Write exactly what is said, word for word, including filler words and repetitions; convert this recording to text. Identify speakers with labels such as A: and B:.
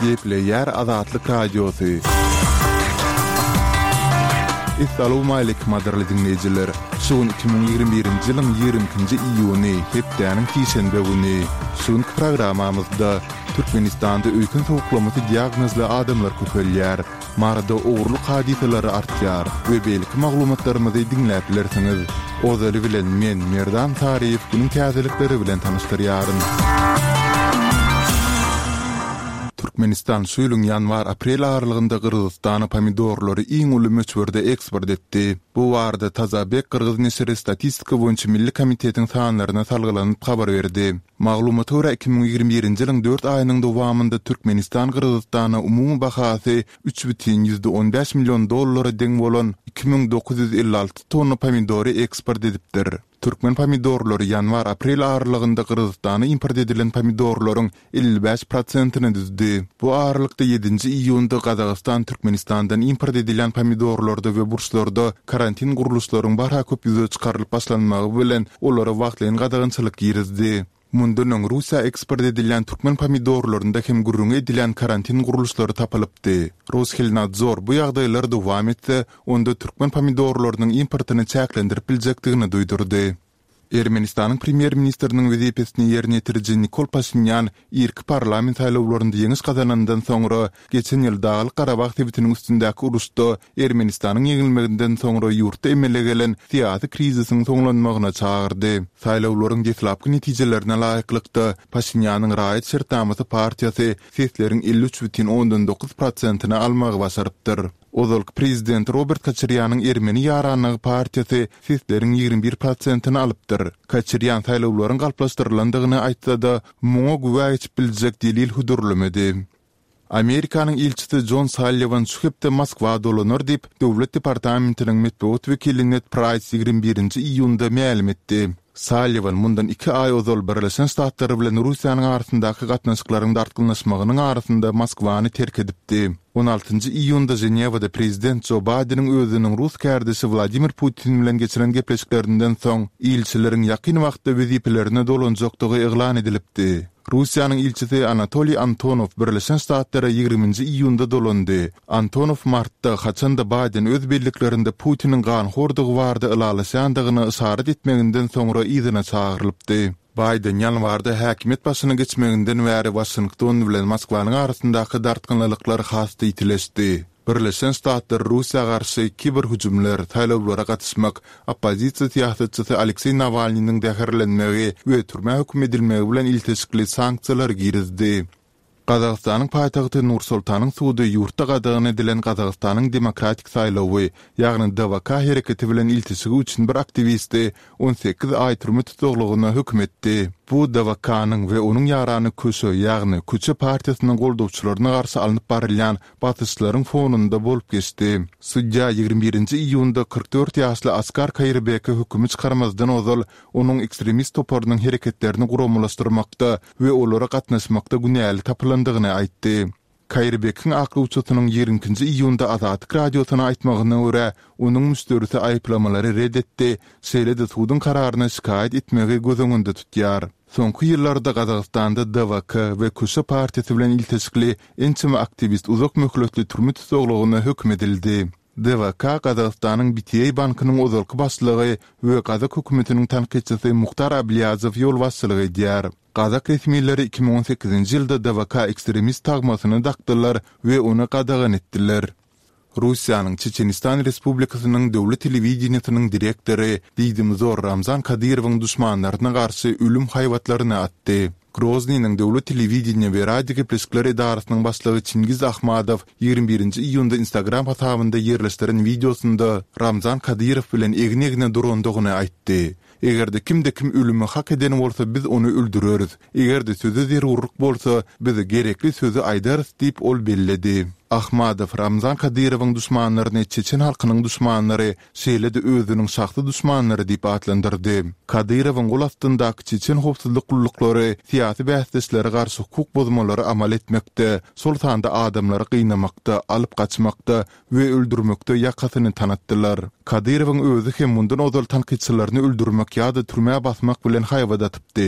A: Gepleýär Azatlyk Radiosy. Essalawmaleýkim gadyrly diňleýjiler! Şu gün iki müň ýigrimi birinji ýylyň ýigrimi ikinji iýuny, hepdäniň sişenbe güni. Şu günki programmamyzda Türkmenistanda öýken sowuklamasy diagnozly adamlar köpelýär. Maryda ogurlyk hadysalary artýar we beýleki maglumatlarymyzy diňläp bilersiňiz. Ozaly bilen men, Merdan Saryýew günüň täzelikleri bilen tanyşdyrýaryn. Türkmenistan şu ýylyň ýanwar-aprel aralygynda Gyrgyzystana pomidorlary iň uly möçberde eksport etdi. Bu barada Tazabek gyrgyz neşiri Statistika boýunça milli komitetiň sanlaryna salgylanyp habar berdi. Maglumata görä, iki müň ýigrimi birinji ýylyň dört aýynyň dowamynda Türkmenistan Gyrgyzystana umumy bahasy üç bütin ýüzde on bäş million dollara deň bolan iki müň dokuz ýüz elli alty tonna pomidory eksport edipdir. Türkmen pomidorlary ýanwar-aprel aralygynda Gyrgyzystana import edilen pomidorlaryň elli bäş prosentini düzdi. Bu aralykda ýedinji iýunda Gazagystan Türkmenistandan import edilýän pomidorlarda we burçlarda karantin gurluşlaryň barha köp ýüze çykarylyp başlanmagy bilen olara wagtlaýyn gadagançylyk girizdi. Mundan öň Russiýa eksport edilýän türkmen pomidorlarynda hem gürrüňi edilýän karantin gurluşlary tapylypdy. Roshelnadzor bu ýagdaýlar dowam etse, onda türkmen pomidorlarynyň importyny çäklendirip biljekdigini duýdurdy. Ermenistanyň premýer-ministriniň wezipesini ýerine ýetiriji Nikol Paşinýan irki parlament saýlawlarynda ýeňiş gazanandan soňra, geçen ýyl Daglyk-Garabag sebitiniň üstündäki uruşda Ermenistanyň ýeňilmeginden soňra ýurtda emele gelen syýasy krizisiň soňlanmagyna çagyrdy. Saýlawlaryň deslapky netijelerine laýyklykda, Paşinýanyň Raýat şertnamasy partiýasy sesleriň elli üç bütin ondan dokuz prosentini almagy başarypdyr. Ozalky prezident Robert Koçarýanyň Ermeni ýaranlygy partiýasy sesleriň ýigrimi bir prosentini alypdyr. Koçarýan saýlawlaryň galplaşdyrylandygyny aýtsa-da, muňa güwä geçip biljek delil hödürlemedi. Amerikanyň ilçisi Jon Salliwan şu hepde Moskwa dolanar diýip, Döwlet departamentiniň metbugat wekili Ned Praýs ýigrimi birinji iýunda mälim etdi. Salliwan mundan iki aý ozal Birleşen Ştatlar bilen Russiýanyň arasyndaky gatnaşyklaryň dartgynlaşmagynyň arasynda Moskwany terk edipdi. On altynjy iýunda Ženewada prezident Jo Baýdeniň özüniň rus kärdeşi Wladimir Putin bilen geçiren gepleşiklerinden soň, ilçileriň ýakyn wagtda wezipelerine dolanjakdygy yglan edilipdi. Russiýanyň ilçisi Anatoliý Antonow Birleşen Ştatlara ýigriminji iýunda dolandy. Antonow martda, haçan-da Baýden öz belliklerinde Putiniň ganhordygy barada ylalaşýandygyna yşarat etmeginden soňra yzyna çagyrylypdy. Baýden ýanwarda häkimiýet başyna geçmeginden bäri Waşington bilen Moskwanyň arasyndaky dartgynlylyklar has-da ýitileşdi. Birleşen Ştatlar Russiýa garşy kiberhüjümler, saýlawlara gatyşmak, oppozisiýa syýasatçysy Alekseý Nawalnynyň zäherlenmegi we türmä höküm edilmegi bilen ilteşikli sanksiýalary girizdi. Gazagystanyň paýtagty Nur-Sultanyň sudy ýurtda gadagan edilen Gazagystanyň Demokratik saýlawy, ýagny DWK hereketi bilen ilteşigi üçin bir aktiwisti on sekiz aý türme tussaglygyna höküm etdi. Bu DWK-nyň we onuň ýarany Köşe, ýagny Köçe partiýasynyň goldawçylaryna garşy alnyp barylýan basyşlaryň fonunda bolup geçdi. Sudýa ýigrimi birinji iýunda kyrk dört ýaşly Askar Kaýyrbeke hökümi çykarmazdan ozal onuň ekstremist toparynyň hereketlerini guramalaşdyrmakda we olara gatnaşmakda günäli tapylandygyny aýtdy. Kaýyrbekiň aklawçysynyň ýigrimi ikinji iýunda Azatlyk Radiosyna aýtmagyna görä, onuň müşderisi aýyplamalary ret etdi, şeýle-de suduň kararyna şikaýat etmegi göz öňünde tutýar. Soňky ýyllarda Gazagystanda DWK we Köşe partiýasy bilen ilteşikli ençeme aktiwist uzak möhletli türme tussaglygyna höküm edildi. DWK Gazagystanyň BTA bankynyň ozalky başlygy we gazak hökümetiniň tankytçysy Muhtar Ablýazow ýolbaşçylyk edýär. Gazak resmileri iki müň on sekizinji ýylda DWK ekstremist tagmasyny dakdylar we ony gadagan etdiler. Russiýanyň Çeçenistan Respublikasynyň döwlet telewideniýesiniň direktory diýdimzor Ramzan Kadyrowyň duşmanlaryna garşy ölüm haýbatlaryny atdy. Groznynyň döwlet telewideniýe we radiogepleşikler edarasynyň başlygy Çingiz Ahmadow ýigrimi birinji iýunda Instagram hasabynda ýerleşdiren wideosynda Ramzan Kadyrow bilen egin-egne durandygyny aýtdy. Eger-de kimde-kim ölümi hak eden bolsa biz ony öldüreris. Eger-de söze zerurlyk bolsa, biz gerekli sözi aýdarys diýip ol belledi. Ahmadow Ramzan Kadyrowyň duşmanlaryny çeçen halkynyň duşmanlary, şeýle-de özüniň şahsy duşmanlary diýip atlandyrdy. Kadyrowyň gol astyndaky çeçen howpsuzlyk gulluklary syýasy bäsdeşlere garşy hukuk bozmalary amal etmekde, şol sanda adamlary gynamakda, alyp gaçmakda we öldürmekde ýakasyny tanatdylar. Kadyrowyň özi hem mundan ozal tankytçylaryny öldürmek ýa-da türmä basmak bilen haýbat atypdy.